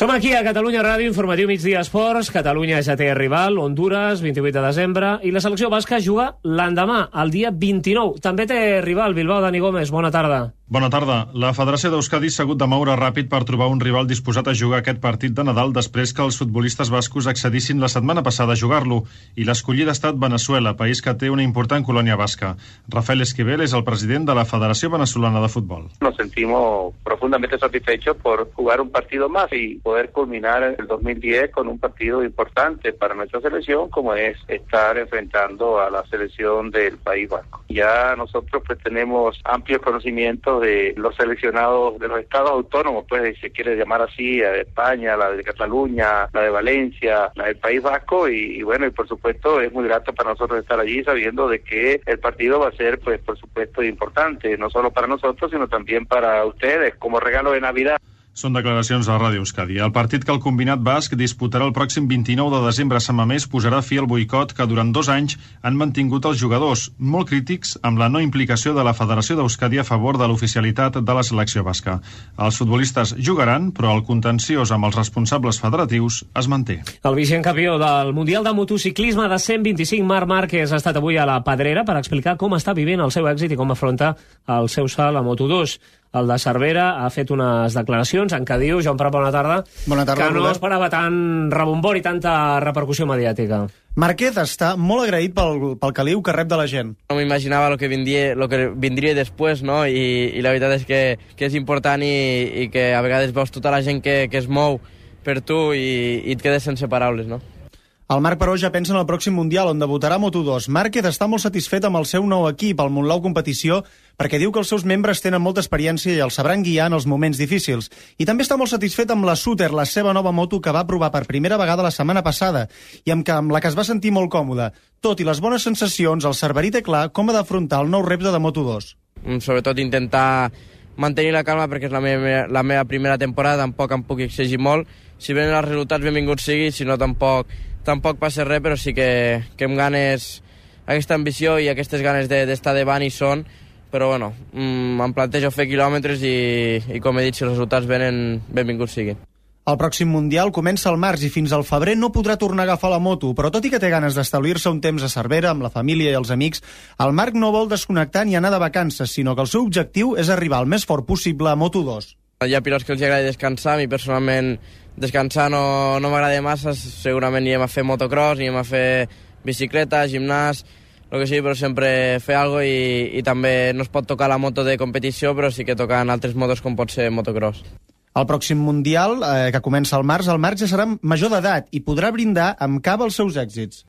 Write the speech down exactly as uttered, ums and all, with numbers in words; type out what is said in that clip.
Som aquí a Catalunya Ràdio, informatiu migdia esports. Catalunya ja té rival, Honduras, vint-i-vuit de desembre, i la selecció basca juga l'endemà, el dia vint-i-nou. També té rival, Bilbao. Dani Gómez, bona tarda. Bona tarda. La Federació d'Euskadi s'ha hagut de moure ràpid per trobar un rival disposat a jugar aquest partit de Nadal després que els futbolistes bascos accedissin la setmana passada a jugar-lo, i l'escollida ha estat Venezuela, país que té una important colònia basca. Rafael Esquivel és el president de la Federació Venezolana de Futbol. Nos sentimos profundamente satisfechos por jugar un partido más y poder culminar el dos mil diez con un partido importante para nuestra selección, como es estar enfrentando a la selección del País Vasco. Ya nosotros pues tenemos amplios conocimientos de los seleccionados de los estados autónomos, pues si se quiere llamar así, la de España, la de Cataluña, la de Valencia, la del País Vasco, y, y bueno, y por supuesto es muy grato para nosotros estar allí sabiendo de que el partido va a ser, pues por supuesto, importante, no solo para nosotros, sino también para ustedes, como regalo de Navidad. Són declaracions a Ràdio Euskadi. El partit que el combinat basc disputarà el pròxim vint-i-nou de desembre a Sant Mamés posarà fi al boicot que durant dos anys han mantingut els jugadors, molt crítics amb la no implicació de la Federació d'Euskadi a favor de l'oficialitat de la selecció basca. Els futbolistes jugaran, però el contenciós amb els responsables federatius es manté. El vigent campió del Mundial de Motociclisme de cent vint-i-cinc, Marc Márquez, ha estat avui a la Pedrera per explicar com està vivint el seu èxit i com afronta el seu salt a Moto dos. El de Cervera ha fet unes declaracions en què diu, Joan Prat, bona tarda, bona tarda, que no Robert. esperava tant rebombor i tanta repercussió mediàtica. Márquez està molt agraït pel, pel caliu que rep de la gent. No m'imaginava lo que vindria, lo que vindria després, no? I, i la veritat és que, que és important i, i que a vegades veus tota la gent que, que es mou per tu i, i et quedes sense paraules, no? El Marc, però, ja pensa en el pròxim Mundial, on debutarà Moto dos. Márquez està molt satisfet amb el seu nou equip, el Montlau Competició, perquè diu que els seus membres tenen molta experiència i els sabran guiar en els moments difícils. I també està molt satisfet amb la Suter, la seva nova moto que va provar per primera vegada la setmana passada, i amb, que, amb la que es va sentir molt còmode. Tot i les bones sensacions, el cerverí té clar com ha d'afrontar el nou repte de Moto dos. Sobretot intentar mantenir la calma, perquè és la meva, la meva primera temporada, tampoc em puc exigir molt. Si venen els resultats, benvinguts sigui, si no tampoc... Tampoc passa res, però sí que, que amb ganes, aquesta ambició i aquestes ganes d'estar de, davant hi són, però bueno, mmm, em plantejo fer quilòmetres i, i com he dit, si els resultats venen, benvinguts siguin. El pròxim Mundial comença al març i fins al febrer no podrà tornar a agafar la moto, però tot i que té ganes d'establir-se un temps a Cervera amb la família i els amics, el Marc no vol desconnectar ni anar de vacances, sinó que el seu objectiu és arribar el més fort possible a Moto dos. Hi ha pilots que els agrada descansar, a mi personalment descansar no, no m'agrada massa, segurament anirem a fer motocross, anirem a fer bicicleta, gimnàs, el que sigui, però sempre fer alguna cosa i, i també no es pot tocar la moto de competició, però sí que tocar en altres motos com pot ser motocross. El pròxim Mundial, eh, que comença al març, el Marc ja serà major d'edat i podrà brindar amb cava els seus èxits.